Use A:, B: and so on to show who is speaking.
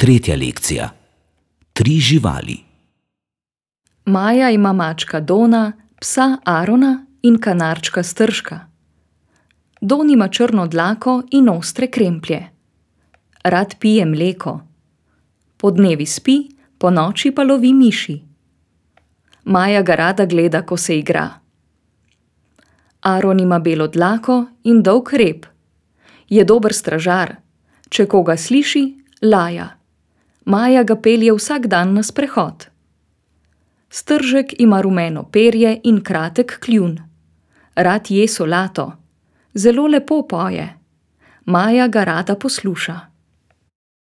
A: Tretja lekcija. 3 živali.
B: Maja ima mačka Dona, psa Arona in kanarčka Stržka. Don ima črno dlako in ostre kremplje. Rad pije mleko. Podnevi spi, ponoči pa lovi miši. Maja ga rada gleda, ko se igra. Aron ima belo dlako in dolg rep. Je dober stražar. Če koga sliši, laja. Maja ga pelje vsak dan na sprehod. Stržek ima rumeno perje in kratek kljun. Rad je solato. Zelo lepo poje. Maja ga rada posluša.